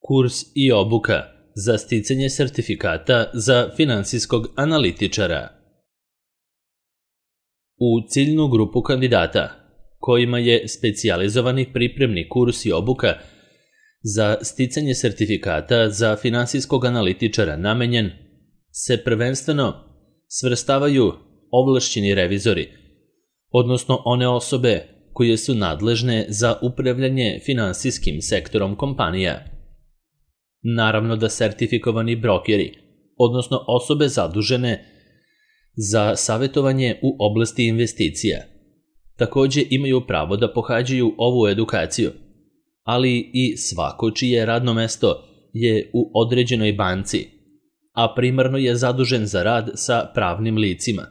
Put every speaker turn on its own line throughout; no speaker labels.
Kurs i obuka za sticanje sertifikata za finansijskog analitičara. U ciljnu grupu kandidata, kojima je specijalizovani pripremni kurs i obuka za sticanje sertifikata za finansijskog analitičara namenjen, se prvenstveno svrstavaju ovlašćeni revizori, odnosno one osobe koje su nadležne za upravljanje finansijskim sektorom kompanija. Naravno da sertifikovani brokeri, odnosno osobe zadužene za savjetovanje u oblasti investicija, takođe imaju pravo da pohađaju ovu edukaciju, ali i svako čije radno mesto je u određenoj banci, a primarno je zadužen za rad sa pravnim licima,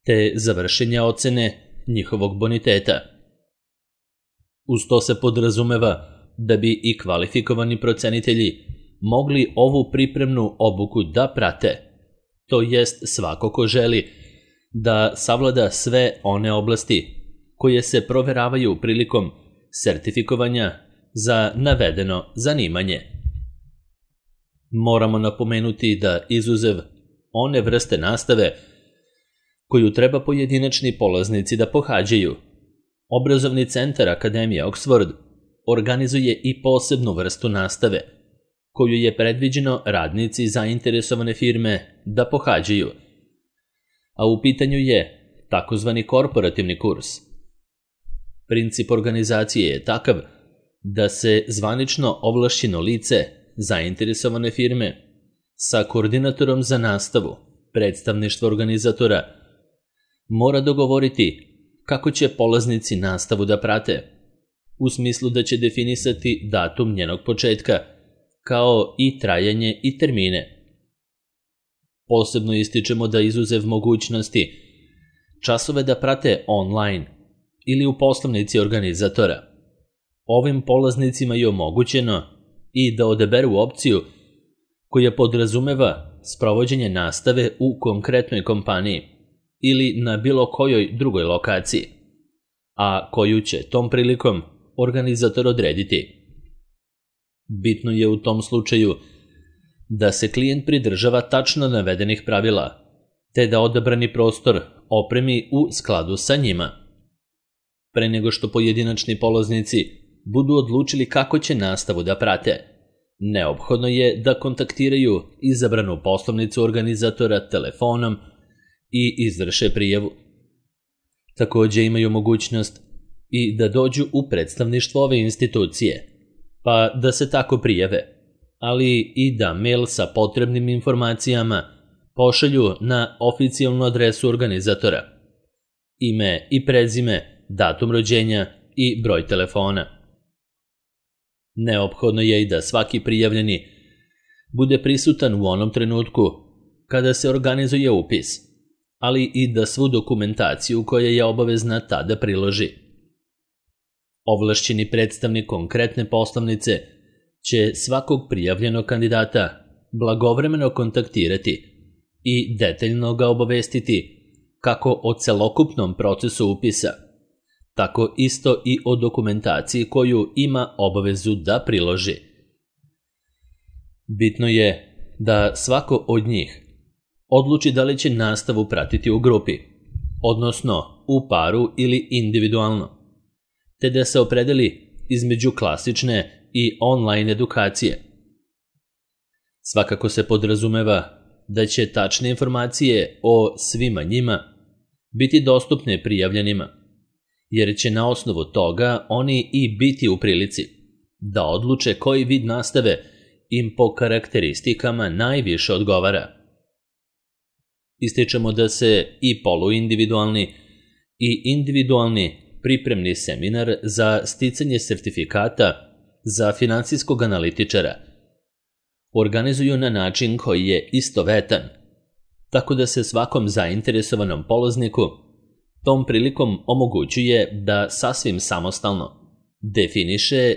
te za vršenje ocene njihovog boniteta. Uz to se podrazumeva da bi i kvalifikovani procenitelji mogli ovu pripremnu obuku da prate, to jest svako ko želi da savlada sve one oblasti koje se proveravaju prilikom sertifikovanja za navedeno zanimanje. Moramo napomenuti da izuzev one vrste nastave koju treba pojedinačni polaznici da pohađaju, Obrazovni centar Akademije Oxford organizuje i posebnu vrstu nastave, koju je predviđeno radnici zainteresovane firme da pohađaju, a u pitanju je takozvani korporativni kurs. Princip organizacije je takav da se zvanično ovlašćeno lice zainteresovane firme sa koordinatorom za nastavu, predstavništvo organizatora, mora dogovoriti kako će polaznici nastavu da prate, u smislu da će definisati datum njenog početka, kao i trajanje i termine. Posebno ističemo da izuzev mogućnosti časove da prate online ili u poslovnici organizatora, ovim polaznicima je omogućeno i da odaberu opciju koja podrazumeva sprovođenje nastave u konkretnoj kompaniji ili na bilo kojoj drugoj lokaciji, a koju će tom prilikom organizator odrediti. Bitno je u tom slučaju da se klijent pridržava tačno navedenih pravila, te da odabrani prostor opremi u skladu sa njima. Pre nego što pojedinačni polaznici budu odlučili kako će nastavu da prate, neophodno je da kontaktiraju izabranu poslovnicu organizatora telefonom i izvrše prijavu. Takođe imaju mogućnost i da dođu u predstavništvo ove institucije, pa da se tako prijave, ali i da mail sa potrebnim informacijama pošalju na oficijalnu adresu organizatora, ime i prezime, datum rođenja i broj telefona. Neophodno je i da svaki prijavljeni bude prisutan u onom trenutku kada se organizuje upis, ali i da svu dokumentaciju koja je obavezna tada priloži. Ovlašćeni predstavnik konkretne poslovnice će svakog prijavljenog kandidata blagovremeno kontaktirati i detaljno ga obavestiti kako o celokupnom procesu upisa, tako isto i o dokumentaciji koju ima obavezu da priloži. Bitno je da svako od njih odluči da li će nastavu pratiti u grupi, odnosno u paru ili individualno, te da se opredeli između klasične i online edukacije. Svakako se podrazumeva da će tačne informacije o svima njima biti dostupne prijavljenima, jer će na osnovu toga oni i biti u prilici da odluče koji vid nastave im po karakteristikama najviše odgovara. Ističemo da se i poluindividualni i individualni pripremni seminar za sticanje sertifikata za finansijskog analitičara organizuju na način koji je istovetan, tako da se svakom zainteresovanom polazniku tom prilikom omogućuje da sasvim samostalno definiše,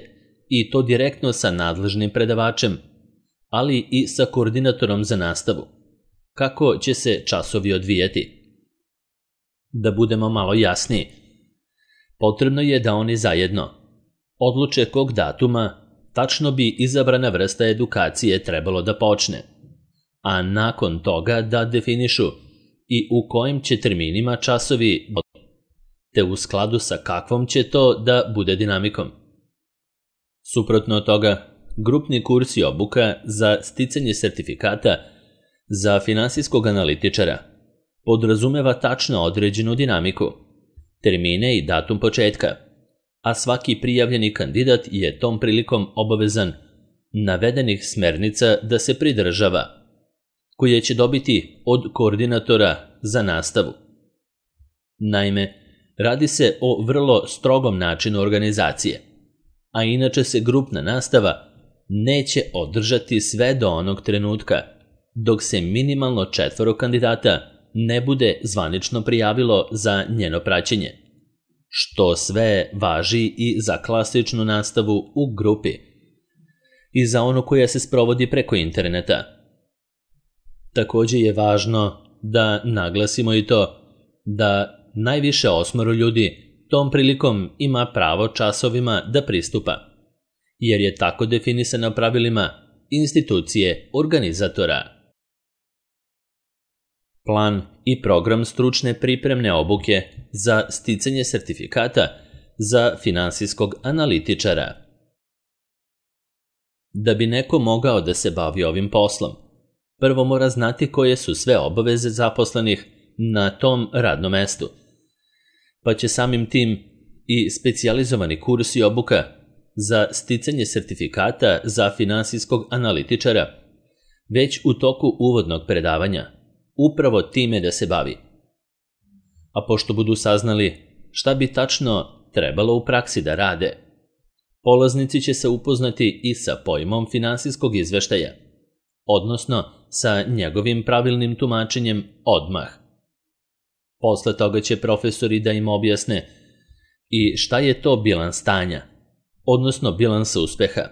i to direktno sa nadležnim predavačem, ali i sa koordinatorom za nastavu, kako će se časovi odvijati. Da budemo malo jasniji, potrebno je da oni zajedno odluče kog datuma tačno bi izabrana vrsta edukacije trebalo da počne, a nakon toga da definišu i u kojim će terminima časovi, te u skladu sa kakvom će to da bude dinamikom. Suprotno od toga, grupni kurs i obuka za sticanje sertifikata za finansijskog analitičara podrazumeva tačno određenu dinamiku, termine i datum početka, a svaki prijavljeni kandidat je tom prilikom obavezan navedenih smernica da se pridržava, koje će dobiti od koordinatora za nastavu. Naime, radi se o vrlo strogom načinu organizacije, a inače se grupna nastava neće održati sve do onog trenutka dok se minimalno 4 kandidata ne bude zvanično prijavilo za njeno praćenje, što sve važi i za klasičnu nastavu u grupi i za onu koja se sprovodi preko interneta. Također je važno da naglasimo i to da najviše 8 ljudi tom prilikom ima pravo časovima da pristupa, jer je tako definisano pravilima institucije organizatora. Plan i program stručne pripremne obuke za sticanje sertifikata za finansijskog analitičara. Da bi neko mogao da se bavi ovim poslom, prvo mora znati koje su sve obaveze zaposlenih na tom radnom mestu, pa će samim tim i specijalizovani kurs i obuka za sticanje sertifikata za finansijskog analitičara već u toku uvodnog predavanja upravo time da se bavi. A pošto budu saznali šta bi tačno trebalo u praksi da rade, polaznici će se upoznati i sa pojmom finansijskog izveštaja, odnosno sa njegovim pravilnim tumačenjem odmah. Posle toga će profesori da im objasne i šta je to bilans stanja, odnosno bilans uspeha,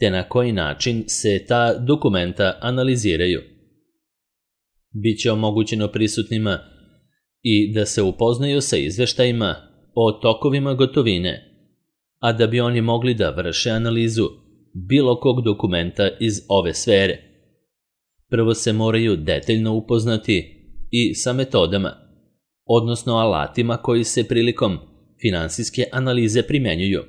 te na koji način se ta dokumenta analiziraju. Biće omogućeno prisutnima i da se upoznaju sa izveštajima o tokovima gotovine, a da bi oni mogli da vrše analizu bilo kog dokumenta iz ove sfere. Prvo se moraju detaljno upoznati i sa metodama, odnosno alatima koji se prilikom finansijske analize primenjuju.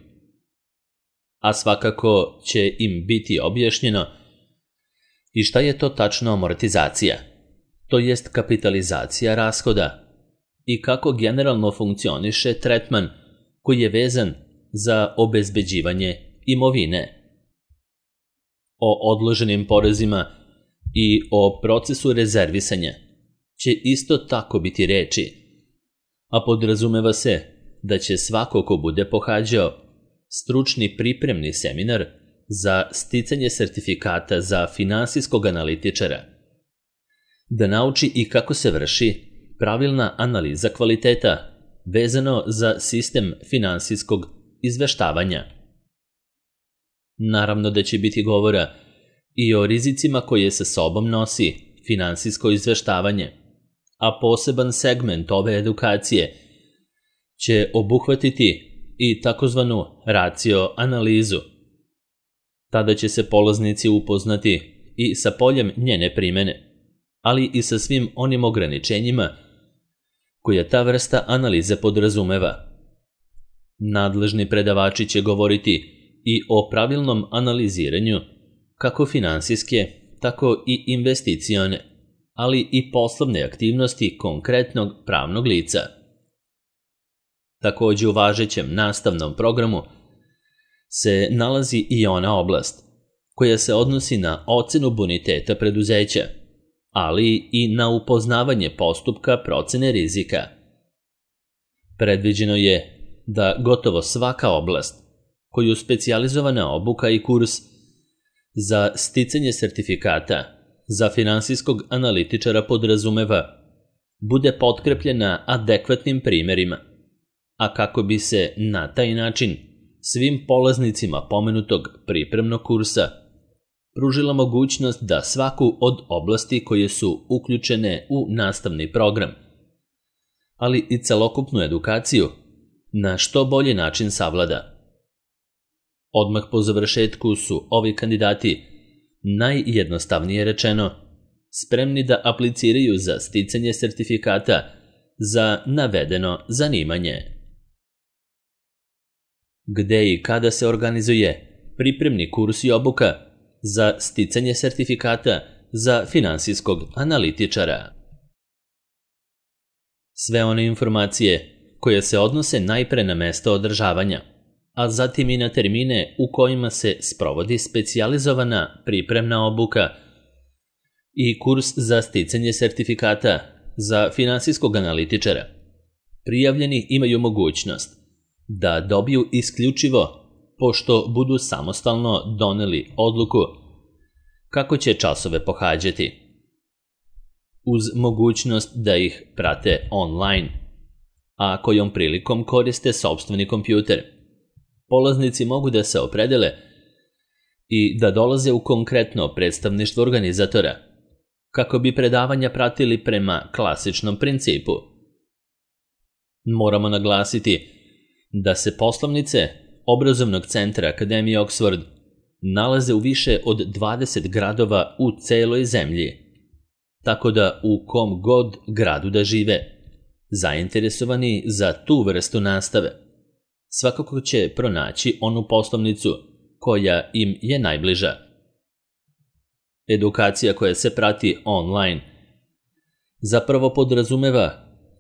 A svakako će im biti objašnjeno i šta je to tačno amortizacija, to jest kapitalizacija rashoda, i kako generalno funkcioniše tretman koji je vezan za obezbeđivanje imovine. O odloženim porezima i o procesu rezervisanja će isto tako biti reči, a podrazumeva se da će svako ko bude pohađao stručni pripremni seminar za sticanje sertifikata za finansijskog analitičara da nauči i kako se vrši pravilna analiza kvaliteta vezano za sistem finansijskog izveštavanja. Naravno da će biti govora i o rizicima koje sa sobom nosi finansijsko izveštavanje, a poseban segment ove edukacije će obuhvatiti i takozvanu racio analizu. Tada će se polaznici upoznati i sa poljem njene primene, ali i sa svim onim ograničenjima koja ta vrsta analize podrazumeva. Nadležni predavači će govoriti i o pravilnom analiziranju kako finansijske, tako i investicione, ali i poslovne aktivnosti konkretnog pravnog lica. Također u važećem nastavnom programu se nalazi i ona oblast koja se odnosi na ocenu boniteta preduzeća, ali i na upoznavanje postupka procene rizika. Predviđeno je da gotovo svaka oblast koju specijalizovana obuka i kurs za sticanje sertifikata za finansijskog analitičara podrazumeva bude potkrepljena adekvatnim primerima, a kako bi se na taj način svim polaznicima pomenutog pripremnog kursa pružila mogućnost da svaku od oblasti koje su uključene u nastavni program, ali i celokupnu edukaciju, na što bolji način savlada. Odmah po završetku su ovi kandidati, najjednostavnije rečeno, spremni da apliciraju za sticanje sertifikata za navedeno zanimanje. Gde i kada se organizuje pripremni kurs i obuka za sticanje sertifikata za finansijskog analitičara? Sve one informacije koje se odnose najpre na mesto održavanja, a zatim i na termine u kojima se sprovodi specijalizovana pripremna obuka i kurs za sticanje sertifikata za finansijskog analitičara, prijavljeni imaju mogućnost da dobiju isključivo pošto budu samostalno doneli odluku kako će časove pohađati, uz mogućnost da ih prate online, a kojom prilikom koriste sopstveni kompjuter. Polaznici mogu da se opredele i da dolaze u konkretno predstavništvo organizatora, kako bi predavanja pratili prema klasičnom principu. Moramo naglasiti da se poslovnice obrazovnog centra Akademije Oxford nalaze u više od 20 gradova u celoj zemlji, tako da u kom god gradu da žive, zainteresovani za tu vrstu nastave, svakako će pronaći onu poslovnicu koja im je najbliža. Edukacija koja se prati online zapravo podrazumeva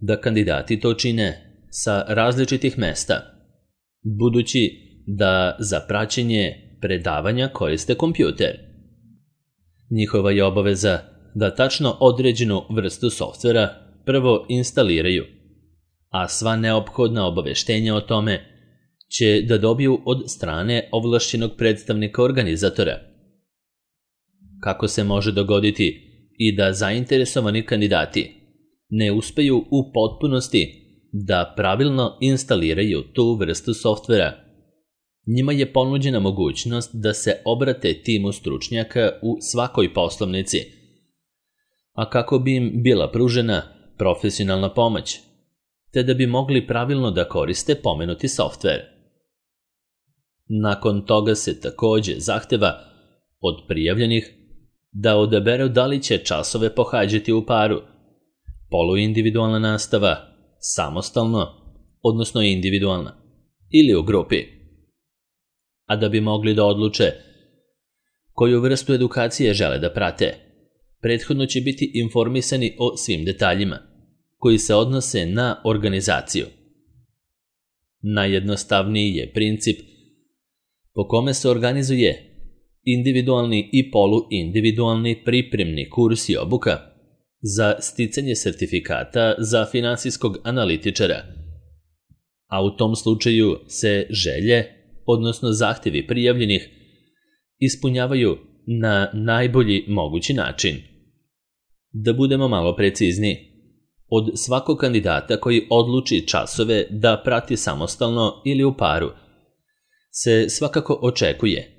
da kandidati to čine sa različitih mesta, budući da za praćenje predavanja koriste kompjuter. Njihova je obaveza da tačno određenu vrstu softvera prvo instaliraju, a sva neophodna obaveštenja o tome će da dobiju od strane ovlašćenog predstavnika organizatora. Kako se može dogoditi i da zainteresovani kandidati ne uspeju u potpunosti da pravilno instaliraju tu vrstu softvera, njima je ponuđena mogućnost da se obrate timu stručnjaka u svakoj poslovnici, a kako bi im bila pružena profesionalna pomoć, te da bi mogli pravilno da koriste pomenuti softver. Nakon toga se takođe zahteva od prijavljenih da odaberu da li će časove pohađati u paru, poluindividualna nastava, samostalno, odnosno individualna, ili u grupi. A da bi mogli da odluče koju vrstu edukacije žele da prate, prethodno će biti informisani o svim detaljima koji se odnose na organizaciju. Najjednostavniji je princip po kome se organizuje individualni i poluindividualni pripremni kurs i obuka za sticanje sertifikata za finansijskog analitičara, a u tom slučaju se želje, odnosno zahtevi prijavljenih, ispunjavaju na najbolji mogući način. Da budemo malo precizniji, od svakog kandidata koji odluči časove da prati samostalno ili u paru, se svakako očekuje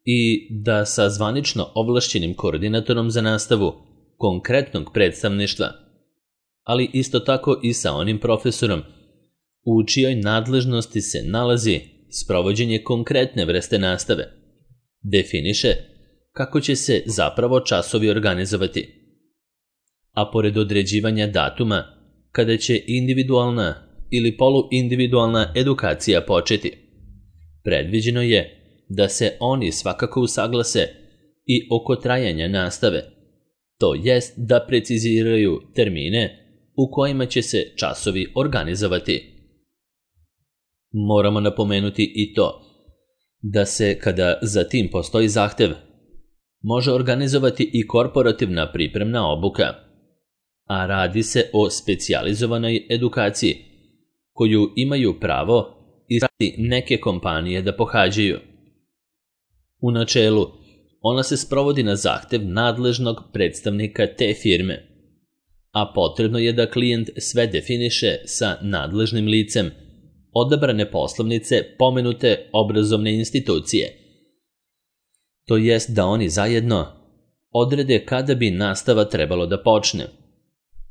i da sa zvanično ovlašćenim koordinatorom za nastavu konkretnog predstavništva, ali isto tako i sa onim profesorom u čijoj nadležnosti se nalazi sprovođenje konkretne vrste nastave, definiše kako će se zapravo časovi organizovati. A pored određivanja datuma kada će individualna ili poluindividualna edukacija početi, predviđeno je da se oni svakako usaglase i oko trajanja nastave, to jest da preciziraju termine u kojima će se časovi organizovati. Moramo napomenuti i to da se, kada za tim postoji zahtev, može organizovati i korporativna pripremna obuka, a radi se o specijalizovanoj edukaciji koju imaju pravo i neke kompanije da pohađaju. U načelu, ona se sprovodi na zahtev nadležnog predstavnika te firme, a potrebno je da klijent sve definiše sa nadležnim licem odabrane poslovnice pomenute obrazovne institucije. To jest da oni zajedno odrede kada bi nastava trebalo da počne,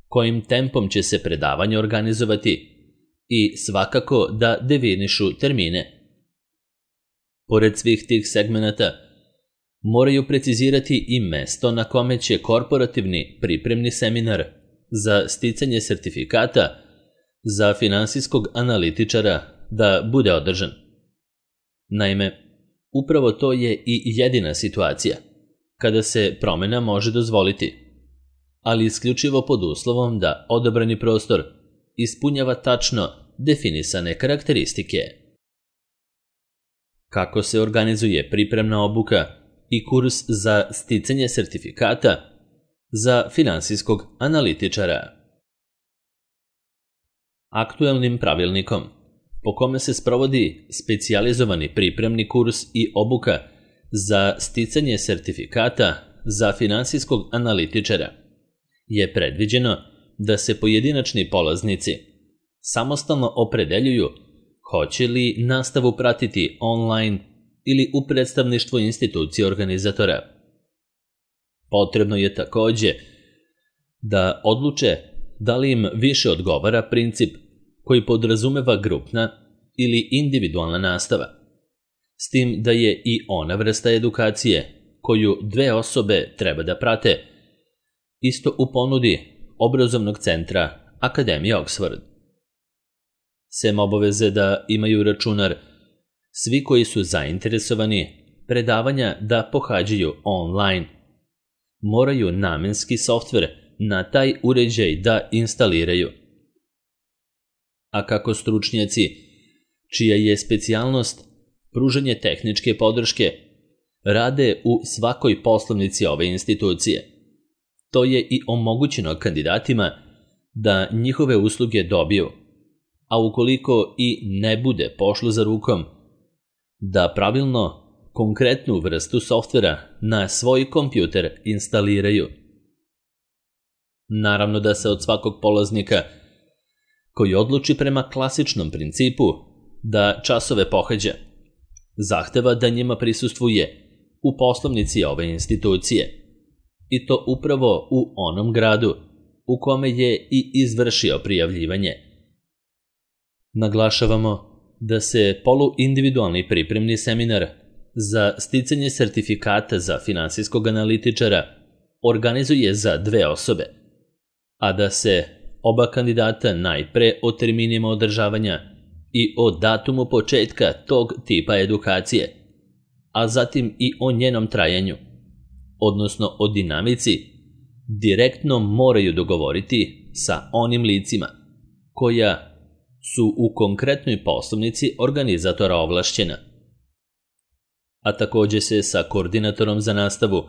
kojim tempom će se predavanje organizovati i svakako da definišu termine. Pored svih tih segmenata, moraju precizirati i mesto na kome će korporativni pripremni seminar za sticanje sertifikata za finansijskog analitičara da bude održan. Naime, upravo to je i jedina situacija kada se promena može dozvoliti, ali isključivo pod uslovom da odabrani prostor ispunjava tačno definisane karakteristike. Kako se organizuje pripremna obuka i kurs za sticanje sertifikata za finansijskog analitičara? Aktuelnim pravilnikom, po kome se sprovodi specijalizovani pripremni kurs i obuka za sticanje sertifikata za finansijskog analitičara, je predviđeno da se pojedinačni polaznici samostalno opredeljuju hoće li nastavu pratiti online ili u predstavništvu institucije organizatora. Potrebno je takođe da odluče da li im više odgovara princip koji podrazumeva grupna ili individualna nastava, s tim da je i ona vrsta edukacije koju dve osobe treba da prate, isto u ponudi obrazovnog centra Akademije Oxford. Sem obaveze da imaju računar, svi koji su zainteresovani predavanja da pohađaju online, moraju namenski softver na taj uređaj da instaliraju. A kako stručnjaci, čija je specijalnost pružanje tehničke podrške, rade u svakoj poslovnici ove institucije, to je i omogućeno kandidatima da njihove usluge dobiju, a ukoliko i ne bude pošlo za rukom, da pravilno konkretnu vrstu softvera na svoj kompjuter instaliraju. Naravno da se od svakog polaznika koji odluči prema klasičnom principu da časove pohađa, zahteva da njima prisustvuje u poslovnici ove institucije, i to upravo u onom gradu u kome je i izvršio prijavljivanje. Naglašavamo da se poluindividualni pripremni seminar za sticanje sertifikata za finansijskog analitičara organizuje za dve osobe, a da se oba kandidata najpre o terminima održavanja i o datumu početka tog tipa edukacije, a zatim i o njenom trajanju, odnosno o dinamici, direktno moraju dogovoriti sa onim licima koja su u konkretnoj poslovnici organizatora ovlašćena. A takođe se sa koordinatorom za nastavu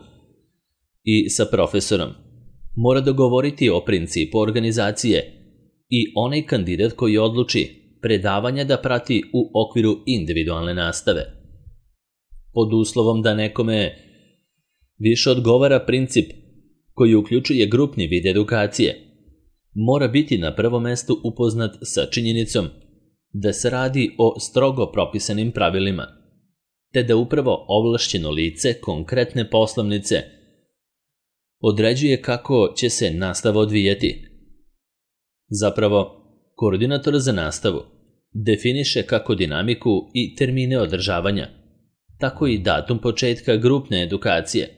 i sa profesorom mora dogovoriti o principu organizacije i onaj kandidat koji odluči predavanja da prati u okviru individualne nastave. Pod uslovom da nekome više odgovara princip koji uključuje grupni vid edukacije, mora biti na prvom mestu upoznat sa činjenicom da se radi o strogo propisanim pravilima, te da upravo ovlašćeno lice konkretne poslovnice određuje kako će se nastava odvijati. Zapravo, koordinator za nastavu definiše kako dinamiku i termine održavanja, tako i datum početka grupne edukacije,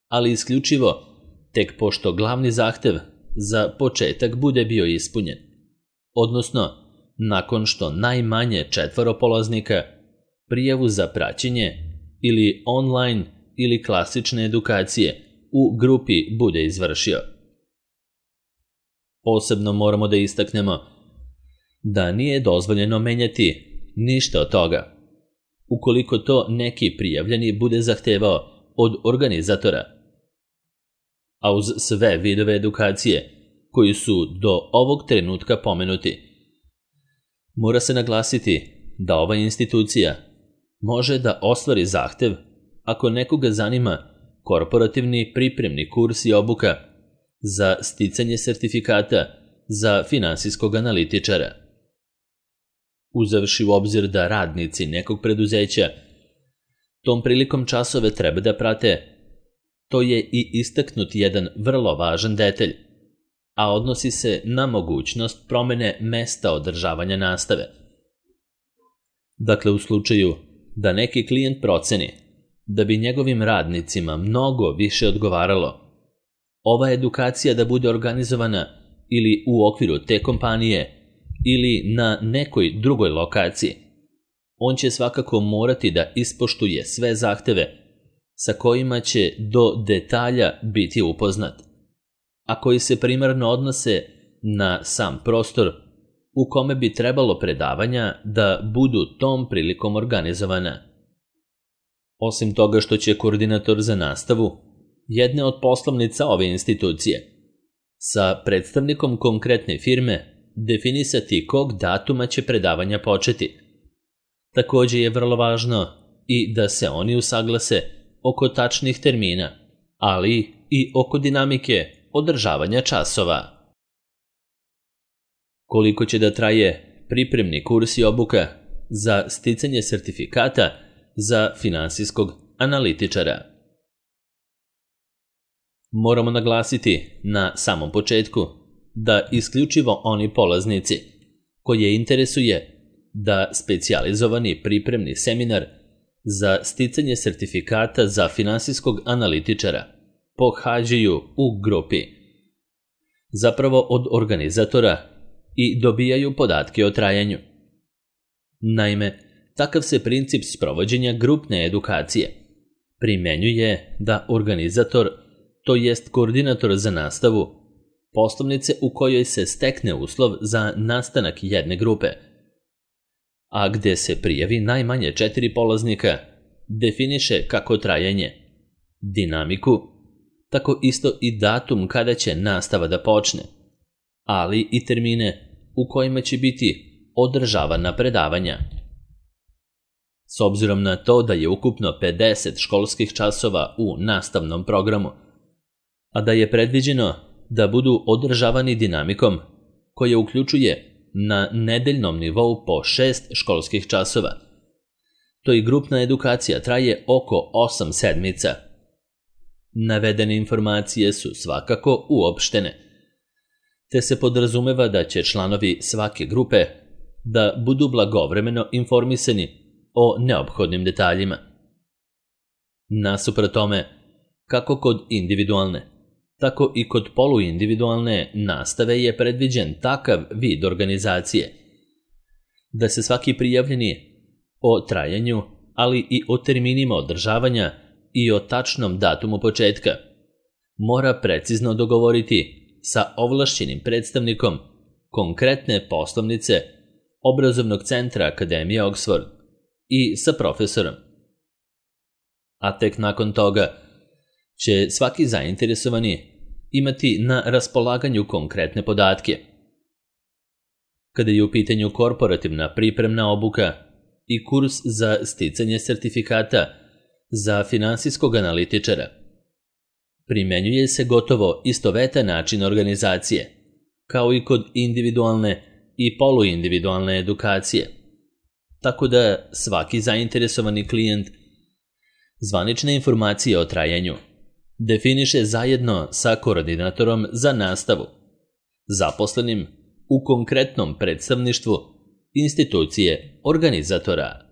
ali isključivo tek pošto glavni zahtev za početak bude bio ispunjen, odnosno nakon što najmanje 4 polaznika prijavu za praćenje ili online ili klasične edukacije u grupi bude izvršio. Posebno moramo da istaknemo da nije dozvoljeno menjati ništa od toga, ukoliko to neki prijavljeni bude zahtevao od organizatora. A uz sve vidove edukacije koji su do ovog trenutka pomenuti, mora se naglasiti da ova institucija može da ostvari zahtev ako nekoga zanima korporativni pripremni kurs i obuka za sticanje sertifikata za finansijskog analitičara. Uzevši u obzir da radnici nekog preduzeća tom prilikom časove treba da prate, to je i istaknut jedan vrlo važan detalj, a odnosi se na mogućnost promene mesta održavanja nastave. Dakle, u slučaju da neki klijent proceni da bi njegovim radnicima mnogo više odgovaralo ova edukacija da bude organizovana ili u okviru te kompanije ili na nekoj drugoj lokaciji, on će svakako morati da ispoštuje sve zahteve sa kojima će do detalja biti upoznat, a koji se primarno odnose na sam prostor u kome bi trebalo predavanja da budu tom prilikom organizovana. Osim toga što će koordinator za nastavu jedne od poslovnica ove institucije sa predstavnikom konkretne firme definisati kog datuma će predavanja početi. Takođe je vrlo važno i da se oni usaglase oko tačnih termina, ali i oko dinamike održavanja časova. Koliko će da traje pripremni kurs i obuka za sticanje sertifikata za finansijskog analitičara? Moramo naglasiti na samom početku da isključivo oni polaznici koje interesuje da specijalizovani pripremni seminar za sticanje sertifikata za finansijskog analitičara pohađaju u grupi, zapravo od organizatora, i dobijaju podatke o trajanju. Naime, takav se princip sprovođenja grupne edukacije primenjuje da organizator, to jest koordinator za nastavu, poslovnice u kojoj se stekne uslov za nastanak jedne grupe, a gde se prijavi najmanje 4 polaznika, definiše kako trajanje, dinamiku, tako isto i datum kada će nastava da počne, ali i termine u kojima će biti održavana predavanja. S obzirom na to da je ukupno 50 školskih časova u nastavnom programu, a da je predviđeno da budu održavani dinamikom koja uključuje na nedeljnom nivou po 6 školskih časova, to i grupna edukacija traje oko 8 sedmica. Navedene informacije su svakako uopštene, te se podrazumeva da će članovi svake grupe da budu blagovremeno informisani o neophodnim detaljima. Nasuprot tome, kako kod individualne, tako i kod poluindividualne nastave je predviđen takav vid organizacije da se svaki prijavljeni o trajanju, ali i o terminima održavanja i o tačnom datumu početka mora precizno dogovoriti sa ovlašćenim predstavnikom konkretne poslovnice obrazovnog centra Akademije Oxford i sa profesorom. A tek nakon toga će svaki zainteresovani imati na raspolaganju konkretne podatke. Kada je u pitanju korporativna pripremna obuka i kurs za sticanje sertifikata za finansijskog analitičara, primenjuje se gotovo istovetan način organizacije, kao i kod individualne i poluindividualne edukacije, tako da svaki zainteresovani klijent zvanične informacije o trajanju definiše zajedno sa koordinatorom za nastavu, zaposlenim u konkretnom predstavništvu institucije organizatora.